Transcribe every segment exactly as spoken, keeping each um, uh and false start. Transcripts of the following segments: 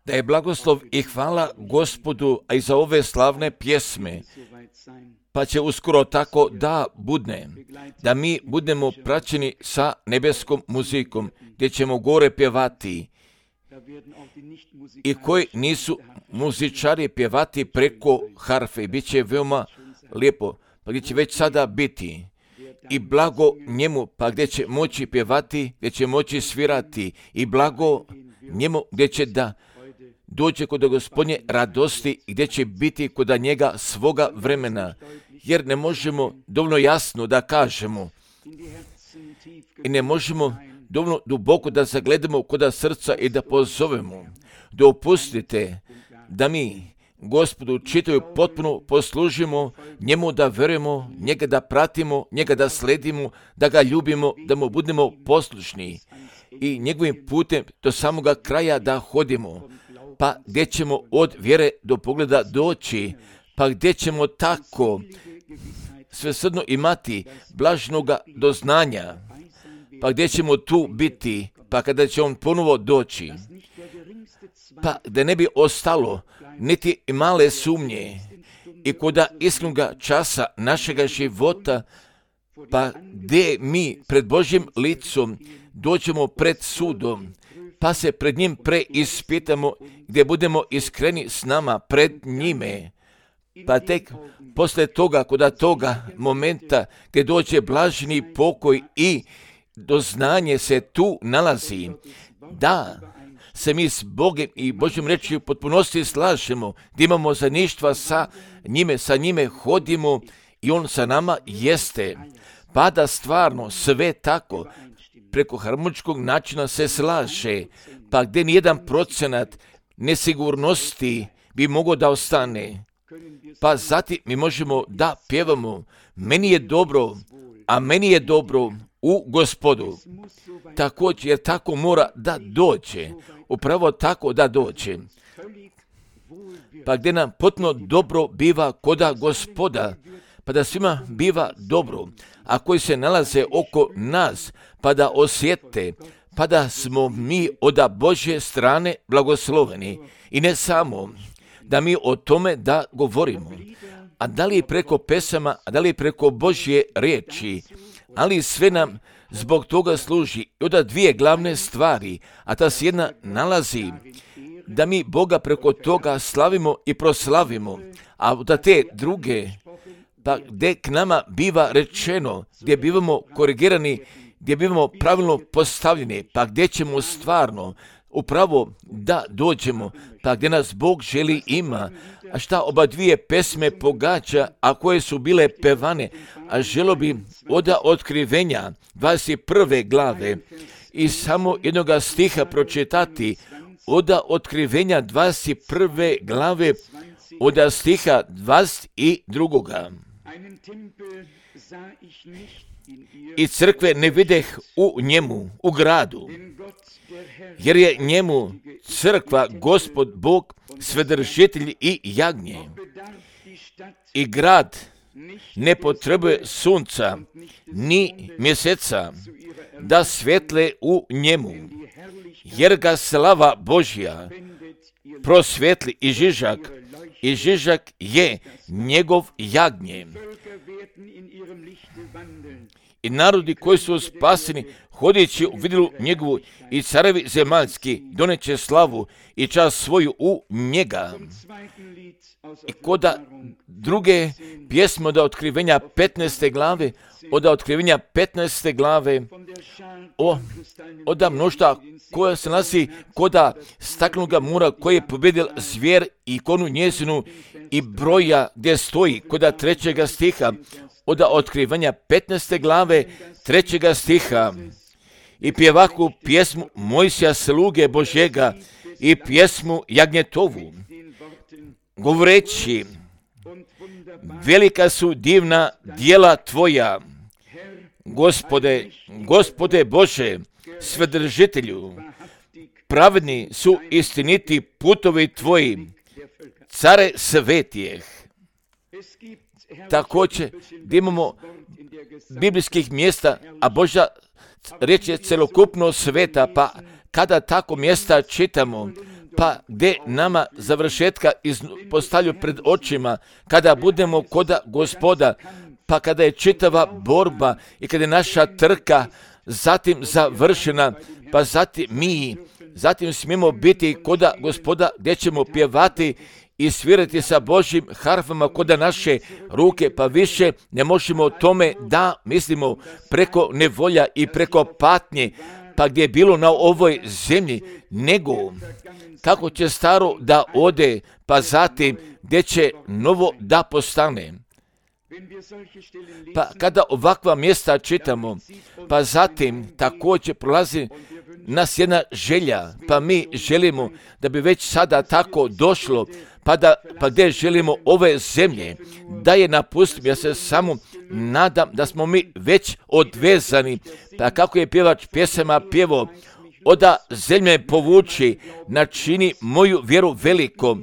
Da je blagoslov i hvala Gospodu, a i za ove slavne pjesme, pa će uskoro tako da budne, da mi budemo praćeni sa nebeskom muzikom, gdje ćemo gore pjevati, i koji nisu muzičari pjevati preko harfe. Bit će veoma lijepo, pa gdje će već sada biti i blago njemu, pa gdje će moći pjevati, gdje će moći svirati, i blago njemu gdje će da dođe kod Gospodnje radosti, gdje će biti kod njega svoga vremena, jer ne možemo dovoljno jasno da kažemo i ne možemo dovoljno duboko da zagledamo kod srca i da pozovemo. Dopustite da mi Gospodu čitaju potpuno poslužimo, njemu da verujemo, njega da pratimo, njega da sledimo, da ga ljubimo, da mu budemo poslušni i njegovim putem do samoga kraja da hodimo. Pa gdje ćemo od vjere do pogleda doći, pa gdje ćemo tako svesrdno imati blažnoga doznanja, pa gdje ćemo tu biti, pa kada će on ponovo doći, pa da ne bi ostalo niti male sumnje i koda iskrenog časa našega života, pa gdje mi pred Božjim licom dođemo pred sudom, pa se pred njim preispitamo, gdje budemo iskreni s nama pred njime, pa tek posle toga, koda toga momenta gdje dođe blaženi pokoj i doznanje se tu nalazi, da se mi s Bogom i Božjom rečju potpunosti slažemo, da imamo zajedništva sa njime, sa njime hodimo i on sa nama jeste, pa da stvarno sve tako preko harmoničkog načina se slaže, pa gdje nijedan procenat nesigurnosti bi mogao da ostane, pa zatim mi možemo da pjevamo, meni je dobro, a meni je dobro u Gospodu. Također, jer tako mora da dođe, upravo tako da dođe. Pa gdje nam potpuno dobro biva koda Gospoda, pa da svima biva dobro, a koji se nalaze oko nas, pa da osjete, pa da smo mi od Božje strane blagosloveni. I ne samo da mi o tome da govorimo, a da li preko pesama, a da li preko Božje riječi, ali sve nam zbog toga služi od dvije glavne stvari, a ta se jedna nalazi da mi Boga preko toga slavimo i proslavimo, a od te druge, pa gdje k nama biva rečeno, gdje bivamo korigirani, gdje bivamo pravilno postavljeni, pa gdje ćemo stvarno upravo da dođemo, pa gdje nas Bog želi ima, a šta oba dvije pesme pogađa, a koje su bile pevane, a želo bi od Otkrivenja dvadeset prve glave i samo jednoga stiha pročitati, od Otkrivenja dvadeset prve glave, od stiha dvadeset drugoga. I crkve ne videh u njemu, u gradu, jer je njemu crkva Gospod Bog, svedržitelj i jagnje. I grad ne potrebuje sunca, ni mjeseca, da svetle u njemu, jer ga slava Božja prosvetli i žižak, i žižak je njegov jagnje. I narodi koji su spaseni, hodići u vidilu njegovu, i carevi zemaljski doneće slavu i čast svoju u njega. I koda druge pjesme od Otkrivenja petnaeste glave, od Otkrivenja petnaeste glave, o, od mnoštva koja se nalazi koda staklenog mura koji je pobjedil zvijer i konu njezinu, i broja gdje stoji koda trećega stiha, od Otkrivenja petnaeste glave, trećega stiha, i pjevaku pjesmu Mojsija sluge Božjega i pjesmu Jagnjetovu, govoreći, velika su divna djela tvoja, Gospode, Gospode Bože, svedržitelju, pravedni su istiniti putovi tvoji, care svetijeh. Također, gdje imamo biblijskih mjesta, a Božja riječ je celokupno sveta, pa kada tako mjesta čitamo, pa gdje nama završetka postavljaju pred očima, kada budemo koda Gospoda, pa kada je čitava borba i kada je naša trka zatim završena, pa zatim mi, zatim smijemo biti koda Gospoda gdje ćemo pjevati i svirati sa Božjim harfama koda naše ruke, pa više ne možemo o tome da mislimo preko nevolja i preko patnje, pa gdje je bilo na ovoj zemlji, nego kako će staro da ode, pa zatim gdje će novo da postane. Pa kada ovakva mjesta čitamo, pa zatim također prolazi nas jedna želja, pa mi želimo da bi već sada tako došlo, pa, da, pa gdje želimo ove zemlje, da je napustim. Ja se samo nadam da smo mi već odvezani, pa kako je pjevač pjesama pjevo, oda zemlje povuči, načini moju vjeru veliko,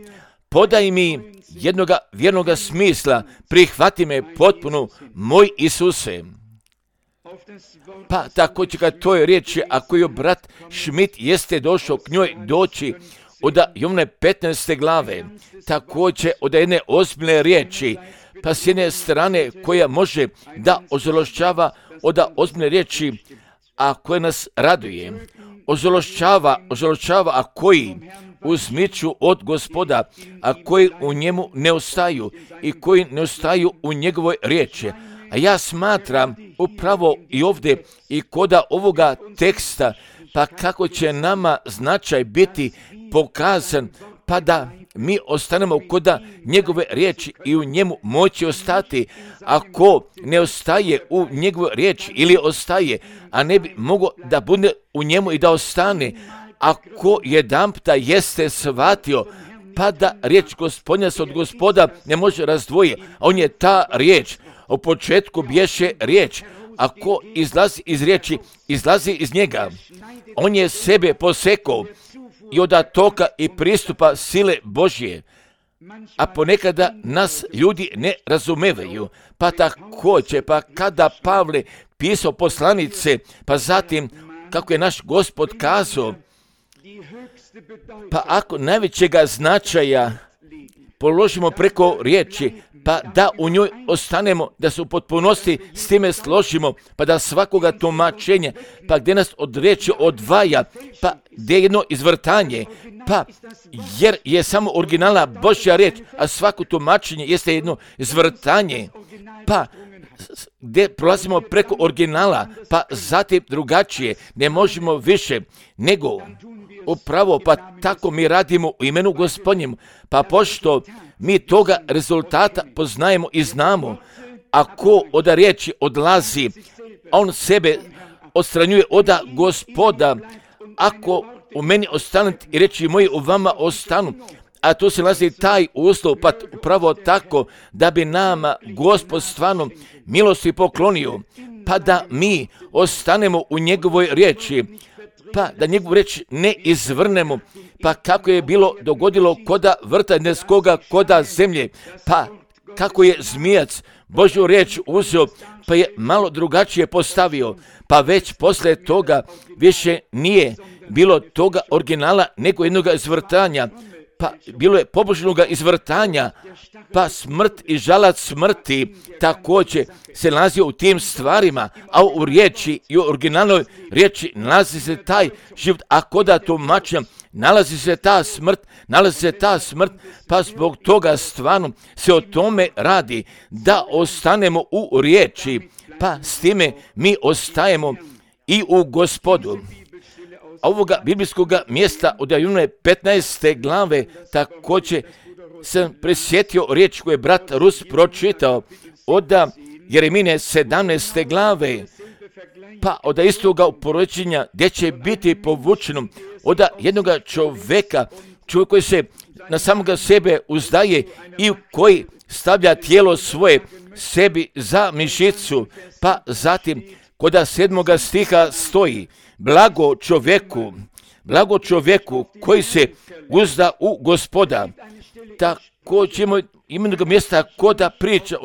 podaj mi jednoga vjernoga smisla, prihvati me potpuno, moj Isuse. Pa također kad toj riječi, ako je brat Schmidt jeste došao k njoj doći, od Jovane petnaeste glave, također od jedne ozbiljne riječi, pa s jedne strane koja može da ozološćava od ozbiljne riječi, a koja nas raduje, ozološćava, ozološćava, a koji uzmiču od Gospoda, a koji u njemu ne ostaju i koji ne ostaju u njegovoj riječi. A ja smatram upravo i ovdje i koda ovoga teksta, pa kako će nama značaj biti pokazan, pa da mi ostanemo koda njegove riječi i u njemu moći ostati. Ako ne ostaje u njegovoj riječi ili ostaje, a ne bi mogao da bude u njemu i da ostane, ako jedanputa jeste shvatio, pa da riječ Gospodnja se od Gospoda ne može razdvojiti, a on je ta riječ. U početku bješe riječ, ako izlazi iz riječi, izlazi iz njega. On je sebe posekao i od toka i pristupa sile Božje. A ponekada nas ljudi ne razumevaju, pa također, pa kada Pavle pisao poslanice, pa zatim kako je naš Gospod kazao, pa ako najvećega značaja položimo preko riječi, pa da u njoj ostanemo, da se u potpunosti s time složimo, pa da svakoga tumačenja, pa gdje nas od riječi odvaja, pa gdje je jedno izvrtanje, pa jer je samo originalna Božja riječ, a svako tumačenje jeste jedno izvrtanje, pa gdje prolazimo preko originala, pa zatim drugačije, ne možemo više nego upravo, pa tako mi radimo u imenu Gospodnjem, pa pošto mi toga rezultata poznajemo i znamo, ako od riječi odlazi, on sebe odstranjuje od Gospoda, ako u meni ostanete i reći moji u vama ostanu, a to se nalazi taj uslov, pa upravo tako da bi nama Gospod stvarno milosti poklonio, pa da mi ostanemo u njegovoj riječi, pa da njegovu riječ ne izvrnemo, pa kako je bilo dogodilo koda vrta neskoga, koda zemlje, pa kako je zmijac Božju riječ uzeo, pa je malo drugačije postavio, pa već poslije toga više nije bilo toga originala nego jednog izvrtanja, pa bilo je pobožnoga izvrtanja, pa smrt i žalac smrti također se nalazi u tim stvarima, a u riječi i u originalnoj riječi nalazi se taj život, a koda tumačenja nalazi se ta smrt, nalazi se ta smrt, pa zbog toga stvarno se o tome radi, da ostanemo u riječi, pa s time mi ostajemo i u Gospodu. Ovoga biblijskog mjesta od Jovane petnaeste glave također sam presjetio riječ koju je brat Rus pročitao od Jeremine sedamnaeste glave, pa od istoga upoređenja gdje će biti povučeno od jednog čovjeka, čovjek koji se na samoga sebe uzdaje i koji stavlja tijelo svoje sebi za mišicu, pa zatim kod sedmoga stiha stoji, blago čovjeku, blago čovjeku koji se uzda u Gospoda. Također imamo imenog mjesta koda priča,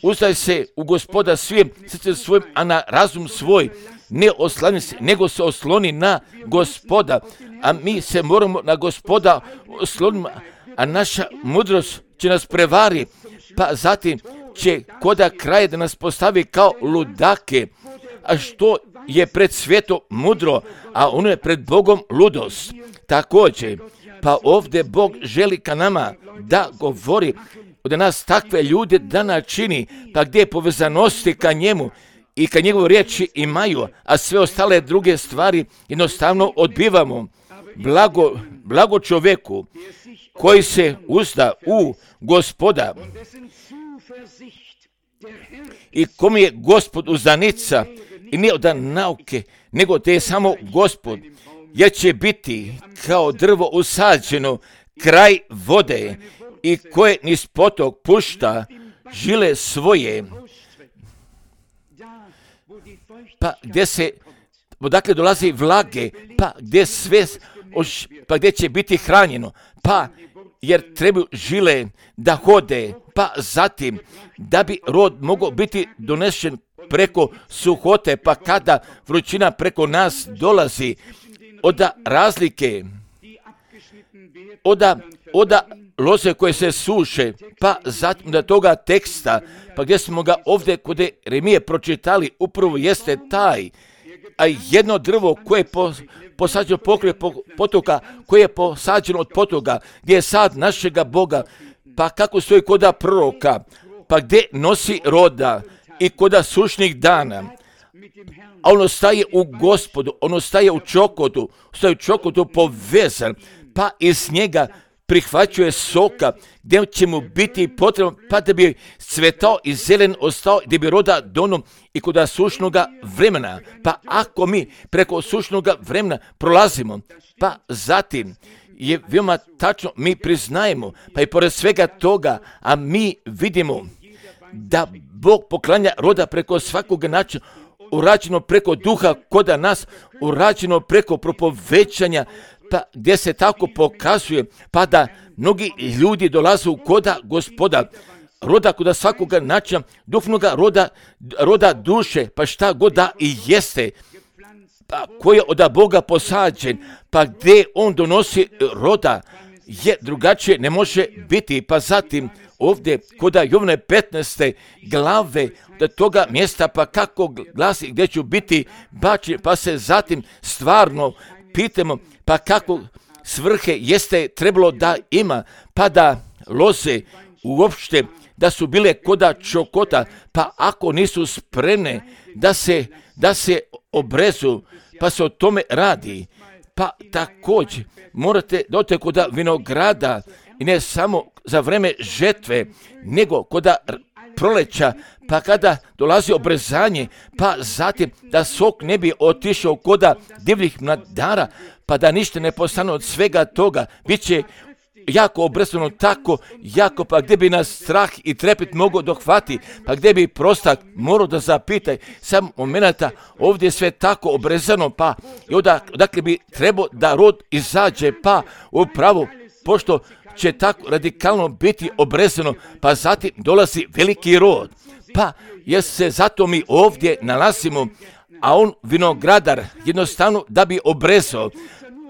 uzdaj se u Gospoda svim srcem svojim, a na razum svoj ne oslani se, nego se osloni na Gospoda, a mi se moramo na Gospoda osloniti, a naša mudrost će nas prevari, pa zatim će koda kraja da nas postavi kao ludake, a što je pred svijetom mudro, a ono je pred Bogom ludost. Također, pa ovdje Bog želi ka nama da govori, da nas takve ljude da načini, pa gdje povezanosti ka njemu i ka njegovoj riječi imaju, a sve ostale druge stvari jednostavno odbivamo. Blago, blago čovjeku koji se uzda u Gospoda i kom je Gospod uzdanica i ne od nauke, nego te je samo Gospod, jer će biti kao drvo usađeno kraj vode i koje niz potok pušta žile svoje. Pa gdje se, odakle dolazi vlage, pa gdje sve, pa gdje će biti hranjeno, pa jer trebaju žile da hode, pa zatim da bi rod mogao biti donešen preko suhote, pa kada vrućina preko nas dolazi, oda razlike, oda, oda loze koje se suše, pa zatim da toga teksta, pa gdje smo ga ovdje kod Jeremije pročitali, upravo jeste taj, a jedno drvo koje je po, posađeno pokraj potoka, koje je posađeno od potoka, gdje je sad našega Boga, pa kako stoji koda proroka, pa gdje nosi roda i koda sušnih dana, a ono staje u Gospodu, ono staje u čokotu, staje u čokotu povezan, pa iz njega prihvaćuje soka, gdje će mu biti potrebno, pa da bi cvetao i zelen ostao, gdje bi roda donom i kod sušnoga vremena. Pa ako mi preko sušnoga vremena prolazimo, pa zatim je veoma tačno, mi priznajemo, pa i pored svega toga, a mi vidimo da Bog poklanja roda preko svakog načina, urađeno preko duha koda nas, urađeno preko propovećanja, pa gdje se tako pokazuje, pa da mnogi ljudi dolaze u koda Gospoda, roda koda svakoga načina, duhovnoga roda, roda duše, pa šta god da i jeste, pa koji je od Boga posađen, pa gdje on donosi roda, je drugačije ne može biti, pa zatim ovdje koda Jovne petnaeste glave do toga mjesta, pa kako glasi gdje ću biti bačen, pa se zatim stvarno pitamo, pa kako svrhe jeste trebalo da ima, pa da loze uopšte da su bile koda čokota, pa ako nisu spremne da se, da se obrezu, pa se o tome radi, pa također morate doći koda vinograda i ne samo za vreme žetve, nego koda proleća, pa kada dolazi obrezanje, pa zatim da sok ne bi otišao koda divljih mladara, pa da ništa ne postane od svega toga, bit će jako obrezano tako, jako, pa gdje bi nas strah i trepet mogao dohvati, pa gdje bi prostak morao da zapitaj, sam momenata ovdje je sve tako obrezano, pa i odakle bi trebao da rod izađe, pa upravo, pošto će tako radikalno biti obrezano, pa zatim dolazi veliki rod, pa jer se zato mi ovdje nalazimo, a on vinogradar jednostavno da bi obrezao,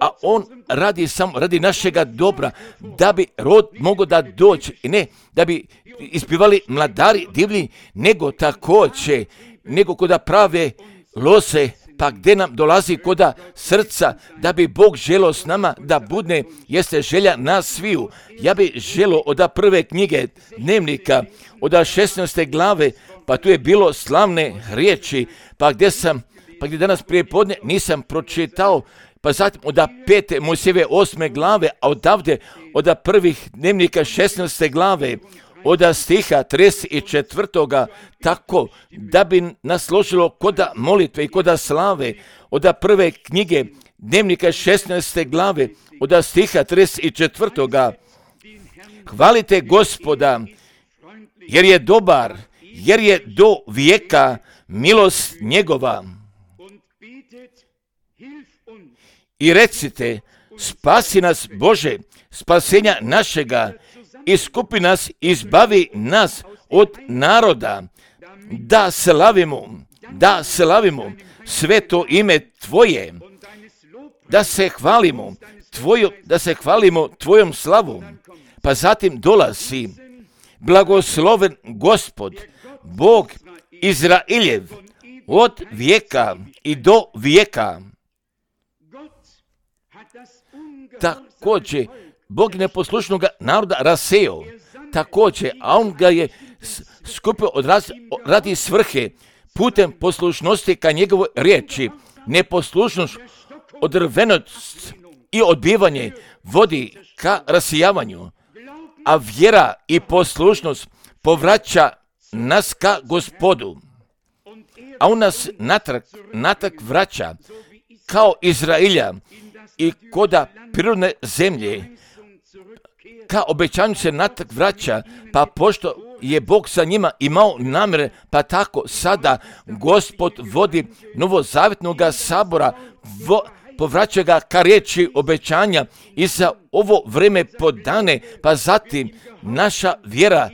a on radi samo radi našega dobra, da bi rod mogao da dođe, i ne da bi ispivali mladari divlji, nego također, nego koda prave loze, pa gdje nam dolazi koda srca, da bi Bog želio s nama da budne, jeste želja nas sviju. Ja bi želio od prve knjige dnevnika, od šesnaeste glave, pa tu je bilo slavne riječi, pa gdje sam, pa gdje danas prije podne nisam pročitao, pa zatim od pete Mojsijeve osme glave, a odavde od prvih dnevnika šesnaeste glave, od stiha trideset četvrtoga tako da bi nas složilo koda molitve i koda slave, od prve knjige dnevnika šesnaeste glave, od stiha trideset četvrtoga Hvalite Gospoda, jer je dobar, jer je do vijeka milost njegova. I recite, spasi nas Bože, spasenja našega, iskupi nas, izbavi nas od naroda, da slavimo, da slavimo, sveto ime Tvoje, da se hvalimo, tvoju, da se hvalimo Tvojom slavom. Pa zatim dolazi blagosloven Gospod, Bog Izraeljev, od vijeka i do vijeka. Također, Bog neposlušnog naroda raseo, također, a on ga je skupio od raz, radi svrhe, putem poslušnosti ka njegovoj riječi. Neposlušnost, odrvenost i odbivanje vodi ka rasijavanju, a vjera i poslušnost povraća nas ka Gospodu, a on nas natrag, natrag vraća kao Izraelja i koda prirodne zemlje, ka obećanju se natrag vraća, pa pošto je Bog sa njima imao namjere, pa tako sada Gospod vodi novozavjetnoga sabora, vo, povraća ga ka riječi obećanja i za ovo vreme podane, pa zatim naša vjera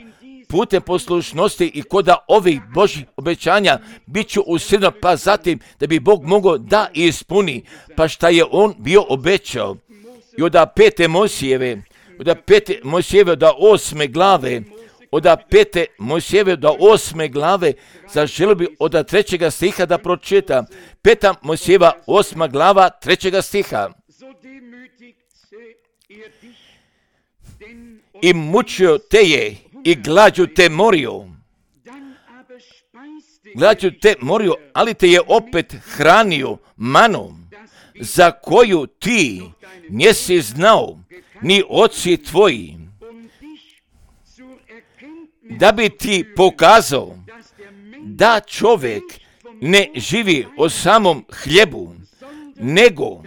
putem poslušnosti i koda ovih Božih obećanja bit ću usidno, pa zatim da bi Bog mogao da ispuni, pa šta je on bio obećao. I od pete Mojsijeve, od pete Mojsijeve do osme glave, od pete Mojsijeve do osme glave, zaželio bi od trećega stiha da pročita. Peta Mojsijeva, osma glava, trećega stiha. I mučio te je, i glađu te morio. Glađu te morio, ali te je opet hranio manom, za koju ti nisi znao, ni oci tvoji, da bi ti pokazao da čovjek ne živi o samom hljebu, nego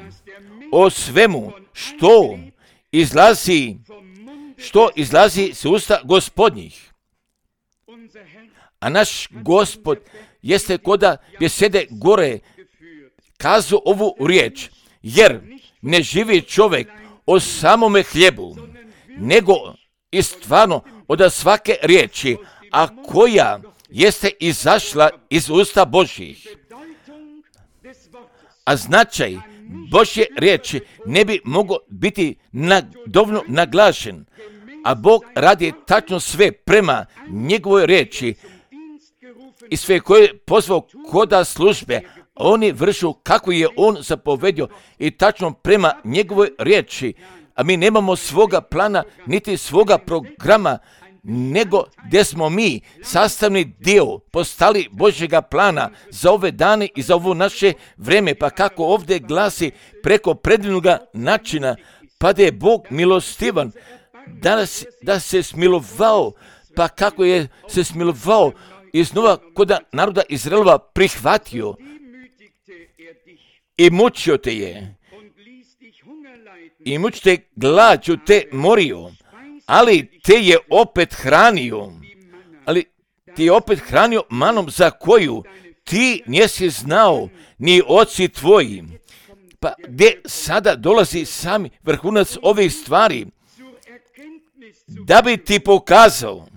o svemu što izlazi, što izlazi s usta Gospodnjih. A naš Gospod jeste koda gdje sede gore kazu ovu riječ, jer ne živi čovjek o samome hljebu, nego i stvarno od svake riječi, a koja jeste izašla iz usta Božjih. A značaj Božje riječi ne bi mogao biti na, dovoljno naglašen, a Bog radi tačno sve prema njegovoj riječi i sve koje je pozvao koda službe, oni vršu kako je on zapovedio i tačno prema njegovoj riječi. A mi nemamo svoga plana, niti svoga programa, nego gdje smo mi sastavni dio postali Božjega plana za ove dane i za ovo naše vreme. Pa kako ovdje glasi preko predivnoga načina, pa da je Bog milostivan, da, da se smilovao, pa kako je se smilovao i znova koda naroda Izraelova prihvatio i mučio te je. I mučite glađu te morio, ali te je opet hranio, ali ti je opet hranio manom za koju ti nisi znao, ni oci tvoji. Pa gdje sada dolazi sami vrhunac ovih stvari, da bi ti pokazao.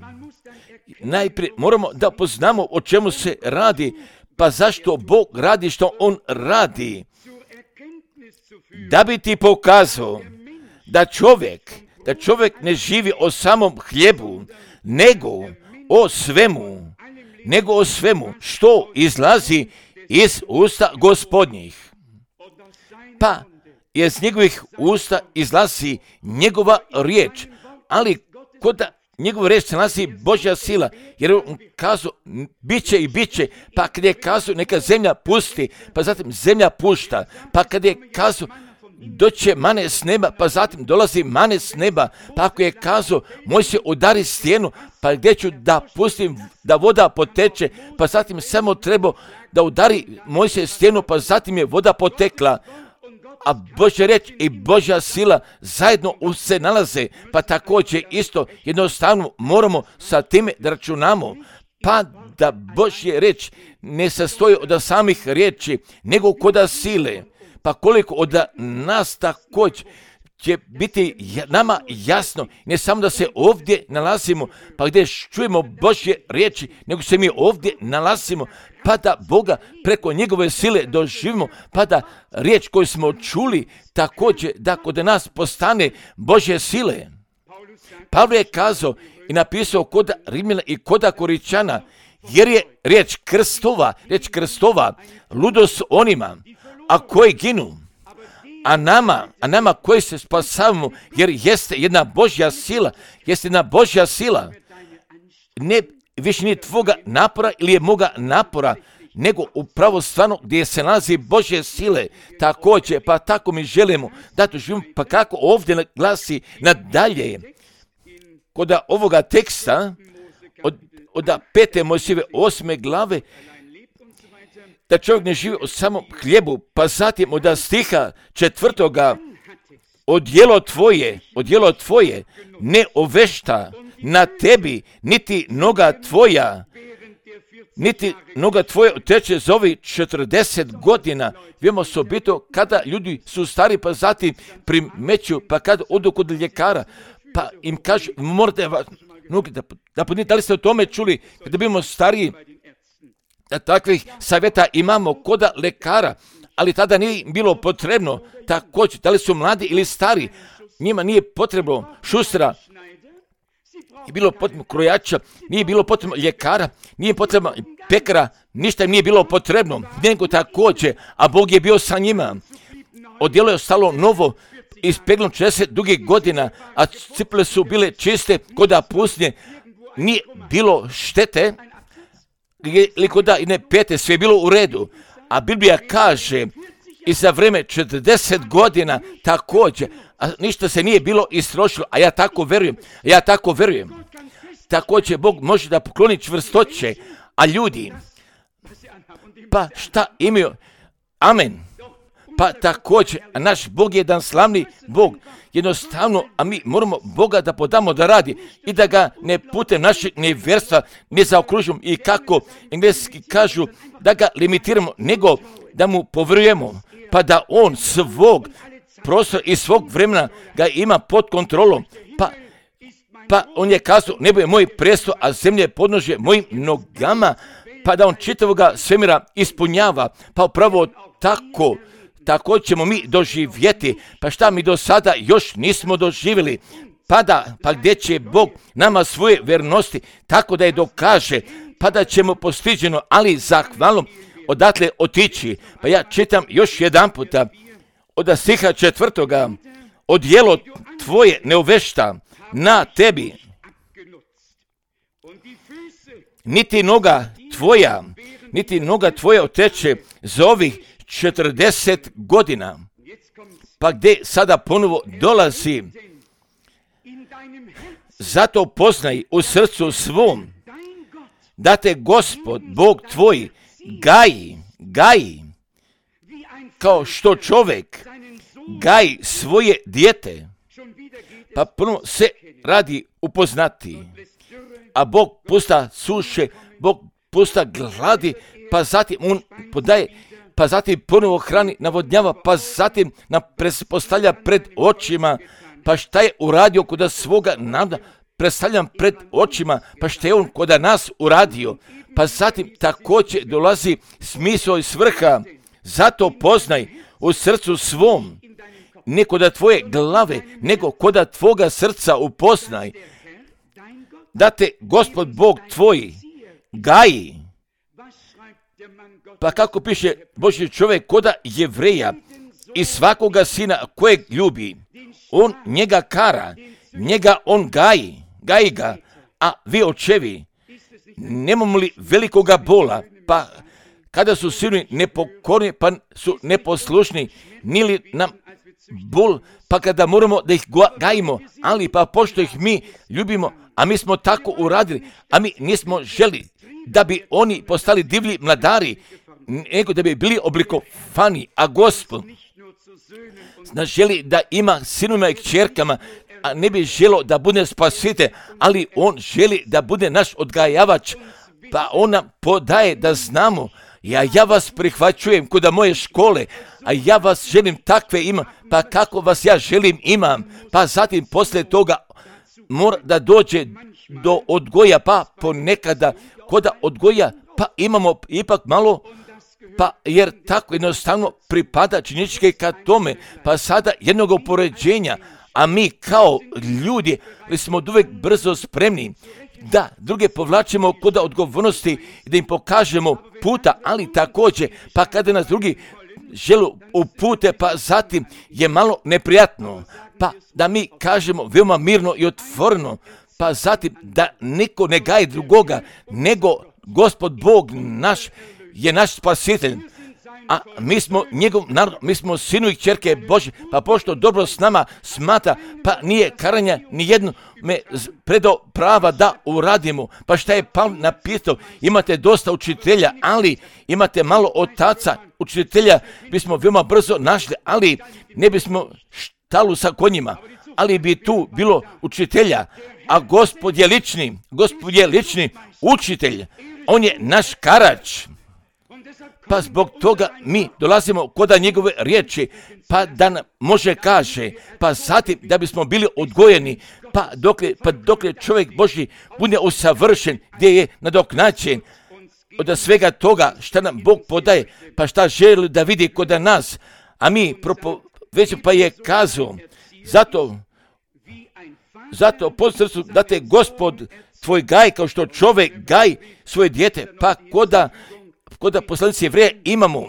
Najprije moramo da poznamo o čemu se radi, pa zašto Bog radi što on radi. Da bi ti pokazao da čovjek, da čovjek ne živi o samom hljebu, nego o svemu, nego o svemu što izlazi iz usta Gospodnjih. Pa iz njegovih usta izlazi njegova riječ, ali kod njegova riječ se nalazi Božja sila, jer on kazao bit će i bit će, pa kad je kazao neka zemlja pusti, pa zatim zemlja pušta, pa kad je kazao doće mane s neba, pa zatim dolazi mane s neba, pa ako je kazao moj se udari stijenu, pa gdje ću da pustim da voda poteče, pa zatim samo treba da udari moj se stijenu, pa zatim je voda potekla. A Božja riječ i Božja sila zajedno se nalaze, pa također isto jednostavno moramo sa time da računamo, pa da Božja riječ ne sastoji od samih riječi, nego koda sile. Pa koliko od nas također će biti nama jasno, ne samo da se ovdje nalazimo, pa gdje čujemo Božje riječi, nego se mi ovdje nalazimo, pa da Boga preko njegove sile doživimo, pa da riječ koju smo čuli također da kod nas postane Božje sile. Pavle je kazao i napisao kod Rimljana i kod Koričana, jer je riječ krstova, riječ krstova, ludost onima, a koji ginu, a nama, a nama koji se spasavamo, jer jeste jedna Božja sila, jeste jedna Božja sila, ne više nije tvoga napora ili je moga napora, nego upravo stvarno gdje se nalazi Božje sile, također, pa tako mi želimo da to živimo, pa kako ovdje glasi nadalje, kod ovoga teksta, od, od pete Mojsijeve osme glave, da čovjek ne živi o samom hljebu, pa zatim od stiha četvrtoga, odjelo tvoje, odjelo tvoje ne ovešta na tebi, niti noga tvoja, niti noga tvoja teče za ovih četrdeset godina. Vijemo osobito kada ljudi su stari, pa zatim primeću, pa kad odu kod ljekara, pa im kažu, morate vas, da, da, da, da li ste o tome čuli, kada bimo stariji, da takvih savjeta imamo kod lekara, ali tada nije bilo potrebno, također, da li su mladi ili stari, njima nije potrebno šustera, nije bilo potrebno krojača, nije bilo potrebno ljekara, nije potrebno pekara, ništa im nije bilo potrebno, nego također, a Bog je bio sa njima. Odjelo je ostalo novo, ispegnuo četrdeset dugih godina, a cipele su bile čiste kod pustinje, nije bilo štete, ili kod ne pete, sve je bilo u redu. A Biblija kaže i za vreme četrdeset godina također, a ništa se nije bilo istrošilo, a ja tako verujem, ja tako verujem. Također Bog može da pokloni čvrstoće, a ljudi, pa šta imaju? Amen. Pa također, a naš Bog je jedan slavni Bog, jednostavno, a mi moramo Boga da podamo da radi i da ga ne putem našeg nevjerstva ne zaokružimo i kako engleski kažu da ga limitiramo, nego da mu povrujemo, pa da on svog prostora i svog vremena ga ima pod kontrolom, pa, pa on je kazao, nebo je moj presto, a zemlje je podnožje mojim nogama, pa da on čitavoga svemira ispunjava, pa upravo tako, tako ćemo mi doživjeti, pa šta mi do sada još nismo doživjeli, pa da, pa gdje će Bog nama svoje vernosti, tako da je dokaže, pa da ćemo postiđeno, ali zahvalom odatle otići. Pa ja čitam još jedan puta, od stiha četvrtoga, odjelo tvoje ne ovešta na tebi, niti noga tvoja, niti noga tvoja oteče za ovih četrdeset godina. Pa gdje sada ponovo dolazi, zato poznaj u srcu svom, da te Gospod, Bog tvoj, gaji, gaji, kao što čovjek gaji svoje dijete, pa ponovo se radi upoznati, a Bog pusta suše, Bog pusta gladi, pa zatim on podaje, pa zatim ponovo hrani, navodnjava, pa zatim nam postavlja pred očima, pa šta je uradio kod svoga naroda, predstavljam pred očima, pa šta je on kod nas uradio, pa zatim također dolazi smisao i svrha, zato poznaj u srcu svom, ne kod tvoje glave, nego kod tvoga srca upoznaj, da te Gospod Bog tvoj gaji. Pa kako piše Božji čovjek kod Jevreja i svakoga sina kojeg ljubi, on njega kara, njega on gaji, gaji ga, a vi očevi, nemamo li velikoga bola, pa kada su sinovi nepokorni, pa su neposlušni, nili nam bol, pa kada moramo da ih gajimo, ali pa pošto ih mi ljubimo, a mi smo tako uradili, a mi nismo želi da bi oni postali divlji mladari, nego da bi bili oblikovani, a Gospod nas želi da ima sinovima i kćerkama, a ne bi želo da bude spasitelj, ali on želi da bude naš odgajavač, pa on nam podaje da znamo, Ja, ja vas prihvaćujem kod moje škole, a ja vas želim takve imam, pa kako vas ja želim imam, pa zatim poslije toga mora da dođe do odgoja, pa ponekada kod odgoja, pa imamo ipak malo, pa jer tako jednostavno pripada činjeničke ka tome, pa sada jednog upoređenja, a mi kao ljudi smo uvijek brzo spremni da druge povlačimo kod odgovornosti i da im pokažemo puta, ali također, pa kada nas drugi žele upute, pa zatim je malo neprijatno, pa da mi kažemo veoma mirno i otvoreno, pa zatim da niko ne gaji drugoga, nego Gospod Bog naš je naš spasitelj, a mi smo njegov narod, mi smo sinu i kćerke Božje, pa pošto dobro s nama smatra, pa nije karanja ni jedno me predao prava da uradimo. Pa šta je Pavle napisao, imate dosta učitelja, ali imate malo otaca učitelja, bismo veoma brzo našli, ali ne bismo štalu sa konjima, ali bi tu bilo učitelja, a Gospod je lični, Gospod je lični učitelj, on je naš karač. Pa zbog toga mi dolazimo kod njegove riječi, pa da nam može kaže, pa zatim da bismo bili odgojeni, pa dokle, pa dokle čovjek Božji bude usavršen, gdje je nadoknađen od svega toga šta nam Bog podaje, pa šta želi da vidi kod nas, a mi propo, već pa je kazao, zato, zato po srcu da te Gospod tvoj gaj kao što čovjek gaj svoje dijete, pa koda Koda poslanici Jevreja imamo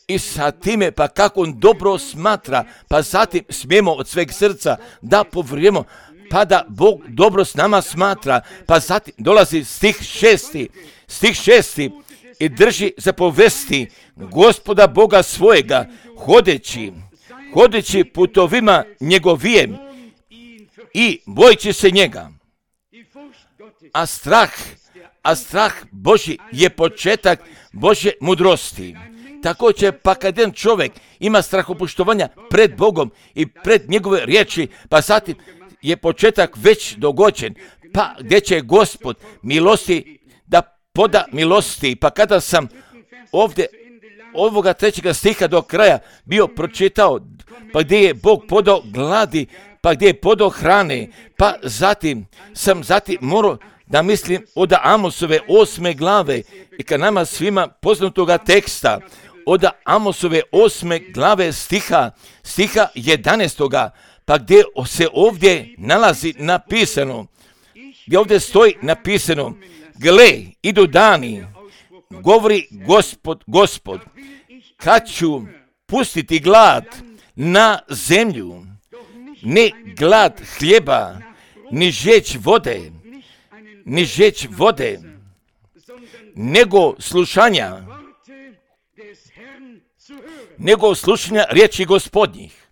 i sa time pa kako on dobro smatra, pa zatim smijemo od sveg srca da povjerujemo, pa da Bog dobro s nama smatra, pa zatim dolazi stih šesti, stih šesti i drži zapovesti Gospoda Boga svojega, hodeći, hodeći putovima njegovijem i bojeći se njega. A strah, a strah Božji je početak Božje mudrosti. Također, pa kad jedan čovjek ima strahopoštovanja pred Bogom i pred njegove riječi, pa zatim je početak već dogođen, pa gdje će Gospod milosti da poda milosti. Pa kada sam ovdje ovoga trećega stiha do kraja bio pročitao, pa gdje je Bog podao gladi, pa gdje je podao hrane, pa zatim sam zatim morao da mislim od Amosove osme glave i kad nama svima poznatoga teksta, od Amosove osme glave stiha, stiha jedanaestoga, pa gdje se ovdje nalazi napisano, gdje ovdje stoji napisano, gle, idu dani, govori Gospod, Gospod, kad ću pustiti glad na zemlju, ne glad hljeba, ni žeć vode, ni žeć vode, nego slušanja, nego slušanja riječi Gospodnjih.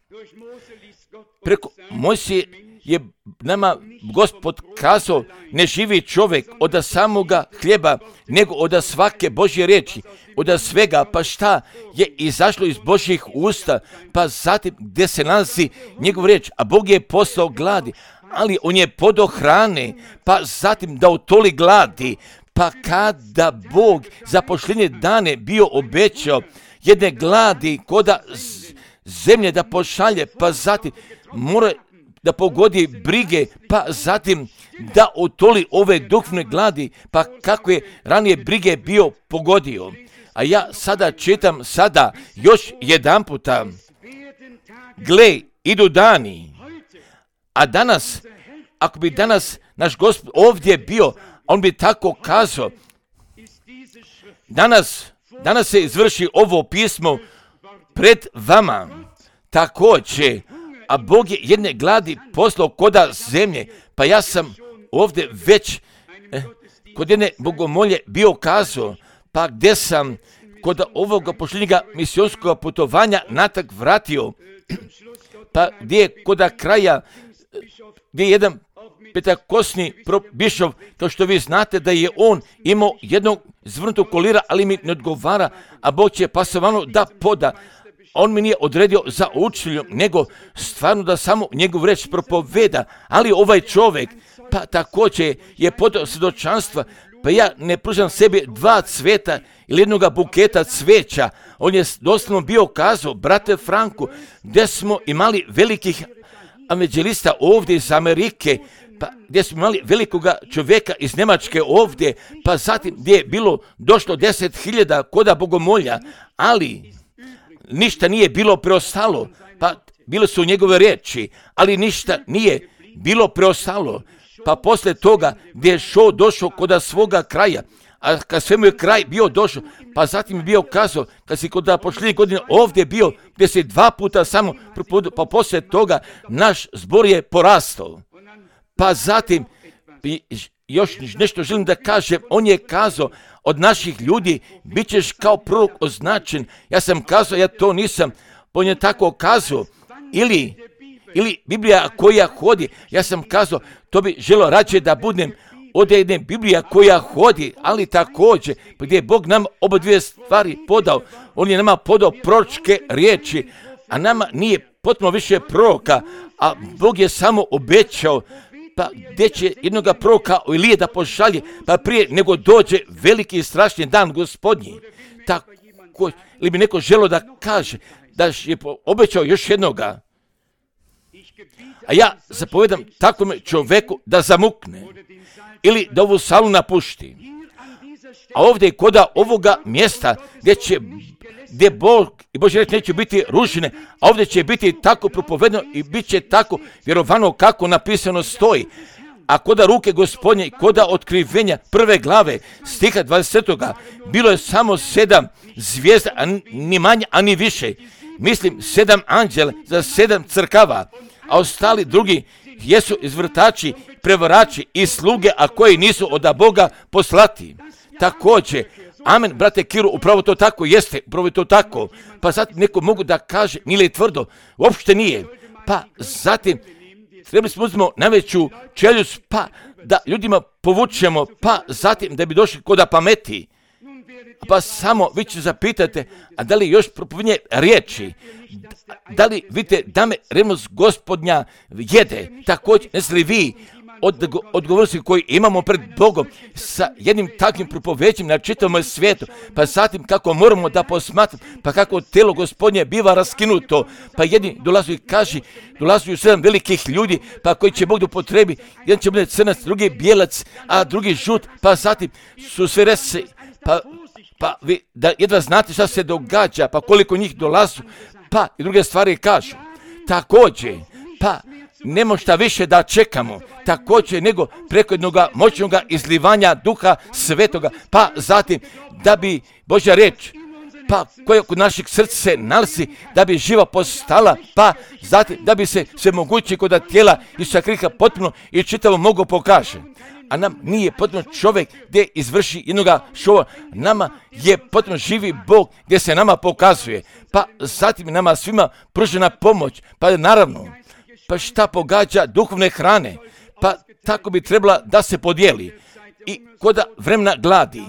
Preko Mojsije je nama Gospod kazao, ne živi čovjek od samoga hljeba, nego od svake Božje riječi, od svega, pa šta je izašlo iz Božjih usta, pa zatim gdje se nalazi njegov riječ, a Bog je poslao gladi, ali on je podao hrane, pa zatim da utoli gladi, pa kada Bog za posljednje dane bio obećao jedne gladi koda zemlje da pošalje, pa zatim mora da pogodi brige, pa zatim da utoli ove duhovne gladi, pa kako je ranije brige bio pogodio. A ja sada čitam sada još jedan puta, gle, idu dani, a danas, ako bi danas naš Gospod ovdje bio, on bi tako kazao, danas, danas se izvrši ovo pismo pred vama, također, a Bog je jedne gladi poslao koda zemlje, pa ja sam ovdje već eh, kod jedne bogomolje bio kazao, pa gdje sam kod ovoga posljednjega misionskog putovanja natak vratio, pa gdje je kod kraja, gdje je jedan petakosni bišov, kao što vi znate da je on imao jednog zvrnutog kolira, ali mi ne odgovara, a Bog će pasovano da poda. On mi nije odredio za učitelju, nego stvarno da samo njegov reč propoveda, ali ovaj čovjek, pa također je podao svjedočanstva Pa ja ne pružam sebi dva cveta ili jednoga buketa cveća. On je doslovno bio kazao, brate Franku, gdje smo imali velikih evanđelista ovdje iz Amerike, pa gdje smo imali velikoga čovjeka iz Njemačke ovdje, pa zatim gdje je bilo došlo deset hiljada koda bogomolja, ali ništa nije bilo preostalo, pa bile su njegove riječi, ali ništa nije bilo preostalo. Pa poslije toga gdje je šo došao koda svoga kraja, a kad svemu je kraj bio došao, pa zatim je bio kazao, kad si kod pošljednje godine ovdje bio, gdje si dva puta samo propovedao, pa poslije toga naš zbor je porastao. Pa zatim, još nešto želim da kažem, on je kazao, od naših ljudi bit ćeš kao prorok označen. Ja sam kazao, ja to nisam, on je tako kazao, ili, ili Biblija koja hodi, ja sam kazao, to bi želio rađe da budem od jedne Biblija koja hodi, ali također, gdje je Bog nam oba dvije stvari podao, on je nama podao proročke riječi, a nama nije potpuno više proroka, a Bog je samo obećao, pa gdje će jednoga proroka Ilije da pošalje, pa prije nego dođe veliki i strašni dan Gospodnji. Tako, ili bi neko želio da kaže, da je obećao još jednoga, a ja zapovedam takvom čovjeku da zamukne ili da ovu salu napušti. A ovdje koda ovoga mjesta gdje će, gdje Bog i Božja riječ neće biti ružene, a ovdje će biti tako propovedano i bit će tako vjerovano kako napisano stoji. A koda ruke Gospodnje, koda otkrivenja prve glave stiha dvadesetoga bilo je samo sedam zvijezda, a ni manje, a ni više. Mislim, sedam anđela za sedam crkava, a ostali drugi jesu izvrtači, prevarači i sluge, a koji nisu od Boga poslati. Također, amen, brate Kiru, upravo to tako jeste, upravo to tako. Pa zatim neko mogu da kaže, nije li tvrdo, uopšte nije. Pa zatim, trebali smo uzmemo najveću čeljust, pa da ljudima povučemo, pa zatim da bi došli koda pameti. Pa samo vi ćete zapitate, a da li još propovednje riječi, da li vidite da me revnost Gospodnja jede, također ne li vi od odgovornosti koji imamo pred Bogom sa jednim takvim propovećem na čitavom svijetu, pa zatim kako moramo da posmatramo, pa kako telo Gospodnje biva raskinuto, pa jedni dolazu i kaži, dolazu sedam velikih ljudi, pa koji će Bog da upotrebi, jedan će bude crnac, drugi bijelac, a drugi žut, pa zatim su sve rese, pa pa vi da jedva znate šta se događa, pa koliko njih dolazu, pa i druge stvari kažu. Također, pa nemo šta više da čekamo, također nego preko jednog moćnog izlivanja Duha Svetoga, pa zatim da bi Božja riječ, pa koja kod naših srca se nalazi, da bi živa postala, pa zatim da bi se sve moguće kod tijela Isusa Krista potpuno i čitavo mogo pokaže. A nam nije potpuno čovjek gdje izvrši jednoga šova, nama je potpuno živi Bog gdje se nama pokazuje, pa zatim nama svima pružena pomoć, pa naravno, pa šta pogađa duhovne hrane, pa tako bi trebala da se podijeli i koda vremena gladi,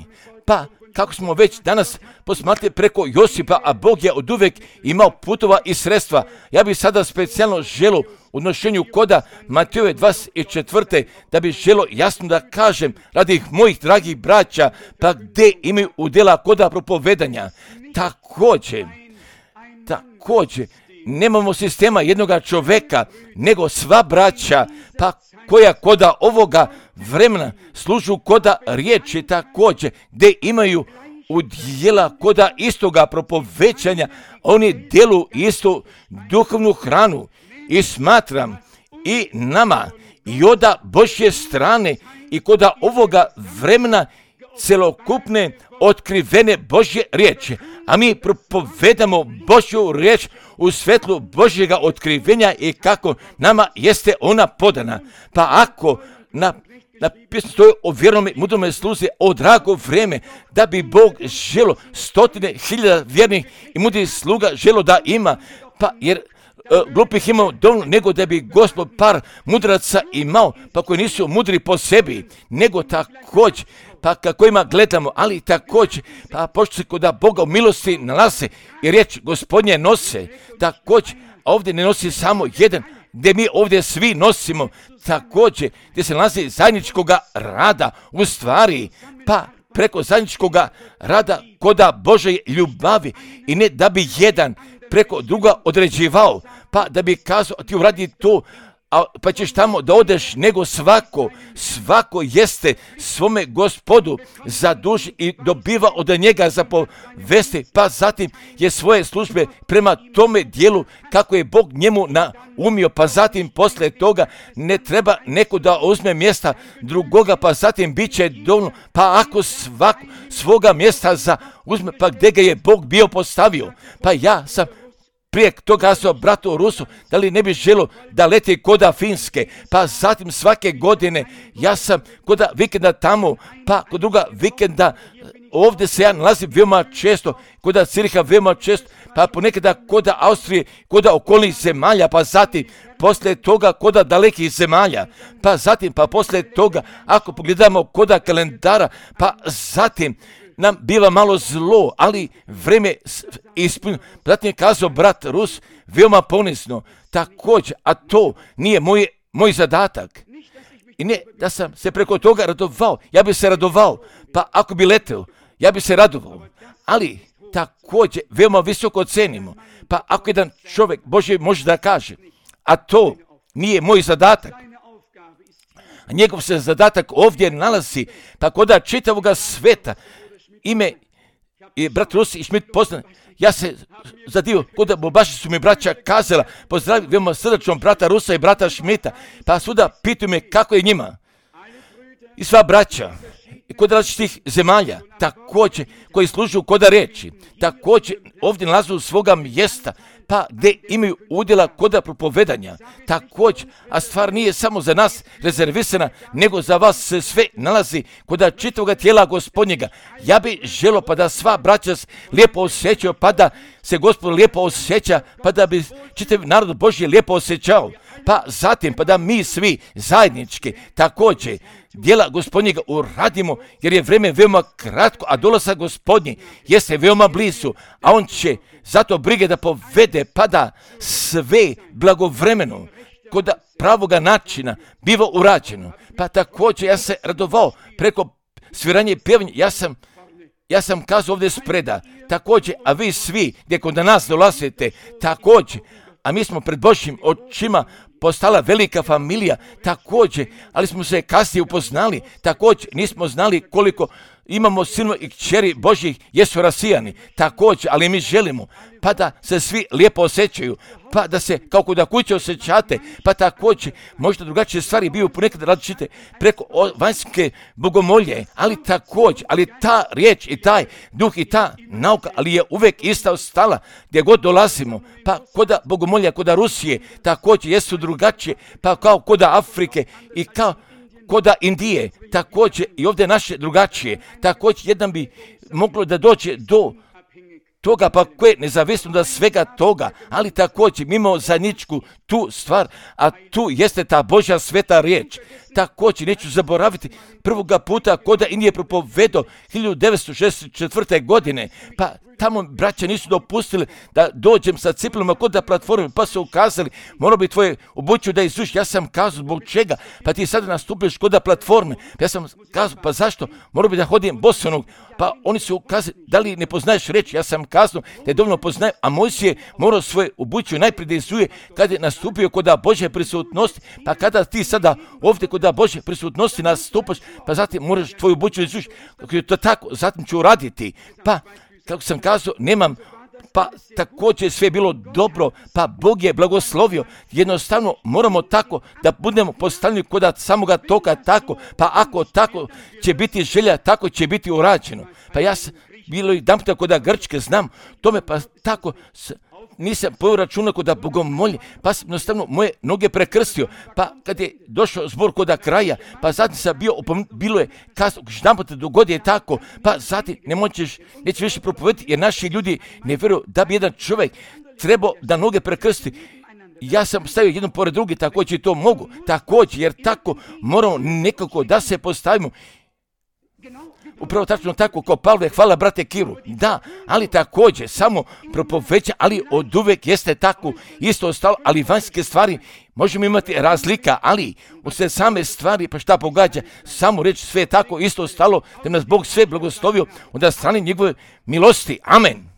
pa kako smo već danas posmatrali preko Josipa, a Bog je od uvek imao putova i sredstva. Ja bih sada specijalno želio u odnošenju koda Matejove dvadeset četvrte da bih želio jasno da kažem radi mojih dragih braća, pa gdje imaju udjela koda propovedanja. Također, također, nemamo sistema jednoga čovjeka, nego sva braća, pa koja koda ovoga vremena služu koda riječi također, gdje imaju udjela koda istoga propovećanja, oni djeluju istu duhovnu hranu i smatram i nama i od Božje strane i koda ovoga vremena celokupne otkrivene Božje riječi, a mi propovedamo Božju riječ u svetlu Božjega otkrivenja i kako nama jeste ona podana. Pa ako na napisano stoji o vjernom i mudrome sluzi o drago vrijeme, da bi Bog želo stotine hiljada vjernih i mudrih sluga želo da ima, pa jer Uh, glupih imao dovoljno, nego da bi Gospod par mudraca imao, pa koji nisu mudri po sebi, nego također, pa kako ima gledamo, ali također, pa pošto se kod Boga u milosti nalaze i riječ Gospodnje nose, također, a ovdje ne nosi samo jedan, gdje mi ovdje svi nosimo, također gdje se nalazi zajedničkoga rada, u stvari, pa preko zajedničkoga rada koda Bože ljubavi i ne da bi jedan preko druga određivao, pa da bi kazao ti uradi to, a, pa ćeš tamo da odeš, nego svako, svako jeste svome Gospodu za dušu i dobiva od njega za povesti, pa zatim je svoje službe prema tome dijelu kako je Bog njemu naumio, pa zatim posle toga ne treba neko da uzme mjesta drugoga, pa zatim bit će dovoljno, pa ako svako svoga mjesta za uzme, pa gdje ga je Bog bio postavio, pa ja sam prije toga kazao bratu Rusu, da li ne bi želio da leti koda Finske, pa zatim svake godine ja sam koda vikenda tamo, pa kod druga vikenda ovdje se ja nalazim veoma često, koda Ciriha veoma često, pa ponekada koda Austrije, koda okolnih zemalja, pa zatim poslije toga koda dalekih zemalja, pa zatim pa poslije toga ako pogledamo koda kalendara, pa zatim nam biva malo zlo, ali vreme ispunjeno. Zatim je kazao brat Rus veoma ponisno, također, a to nije moj, moj zadatak. I ne da sam se preko toga radovao, ja bi se radovao, pa ako bi leteo, ja bi se radovao, ali također veoma visoko cenimo, pa ako jedan čovjek Bože može da kaže, a to nije moj zadatak, a njegov se zadatak ovdje nalazi, pa koda čitavoga sveta, ime i brat Rus i Šmit poznan, ja se zadivio, koda baš su mi braća kazala, pozdravim veoma srdačno brata Rusa i brata Šmita, pa svuda pitaju me kako je njima. I sva braća, i kod različitih zemalja, također, koji služuju koda reči, također ovdje nalazu svoga mjesta, pa gdje imaju udjela koda propovedanja, također, a stvar nije samo za nas rezervisana, nego za vas se sve nalazi koda čitavoga tijela Gospodnjega. Ja bi želio pa da sva braća lijepo osjećaju, pa da se Gospod lijepo osjeća, pa da bi čitav narod Božji lijepo osjećao, pa zatim pa da mi svi zajednički također djela Gospodnjega uradimo, jer je vrijeme veoma kratko, a dolazak Gospodnji jeste veoma blizu, a on će zato brige da povede, pa da sve blagovremeno kod pravoga načina biva urađeno. Pa također ja se radovao preko sviranja i pjevanja, ja sam Ja sam kazao ovdje spreda, također, a vi svi gdje kod nas dolazite, također, a mi smo pred Božjim očima postala velika familija, također, ali smo se kasnije upoznali, također, nismo znali koliko imamo sinova i kćeri Božjih, jesu rasijani, također, ali mi želimo, pa da se svi lijepo osjećaju, pa da se kao kod kuće osjećate, pa također, možda drugačije stvari biju ponekad različite preko vanjske bogomolje, ali također, ali ta riječ i taj duh i ta nauka, ali je uvijek ista ostala gdje god dolazimo, pa koda bogomolja, koda Rusije, također jesu drugačije, pa kao koda Afrike i kao koda Indije, također i ovdje naše drugačije, također jedan bi moglo da dođe do toga, pa koje nezavisno da svega toga, ali također mimo zajedničku tu stvar, a tu jeste ta Božja sveta riječ. Također neću zaboraviti prvoga puta koda Indije propovedo hiljadu devetsto šezdeset četvrte. godine, pa tamo braća nisu dopustili da dođem sa cipelama kod da platforme, pa su ukazali, morao bi tvoje obuću da izuš. Ja sam kazao zbog čega, pa ti sada nastupiš kod da platforme. Ja sam kazao, pa zašto, morao bi da hodim bosonog, pa oni su ukazali, da li ne poznaješ reći. Ja sam kazao da je dovoljno poznaje, a Mojsije je morao svoje obuću najprije da izuje kad je nastupio kod da Božje prisutnosti, pa kada ti sada ovdje kod da Božje prisutnosti nastupaš, pa zatim moraš tvoju obuću izuš. Kako je to tako, zatim ću uraditi, pa kako sam kazao, nemam, pa također sve je bilo dobro, pa Bog je blagoslovio, jednostavno moramo tako da budemo postavljeni kod samoga toka tako, pa ako tako će biti želja, tako će biti urađeno. Pa ja sam bilo i dan puta kod Grčke, znam tome, pa tako nisam poveo računa kod bogomolje, pa sam jednostavno moje noge prekrstio, pa kad je došao zbor kod kraja, pa zatim sam bio, bilo je kasno, jedan puta dogodi je tako, pa zatim ne moćeš, nećeš više propovediti, jer naši ljudi ne vjeruju da bi jedan čovjek trebao da noge prekrsti. Ja sam stavio jedno pored drugi, također to mogu, također, jer tako moramo nekako da se postavimo. Upravo tačno tako ko Pavle, hvala brate Kiru. Da, ali također samo propoveća, ali od uvek jeste tako isto ostalo, ali vanjske stvari možemo imati razlika, ali u sve same stvari, pa šta pogađa, samo reći sve tako isto ostalo, da nas Bog sve blagoslovio od strane njegove milosti. Amen.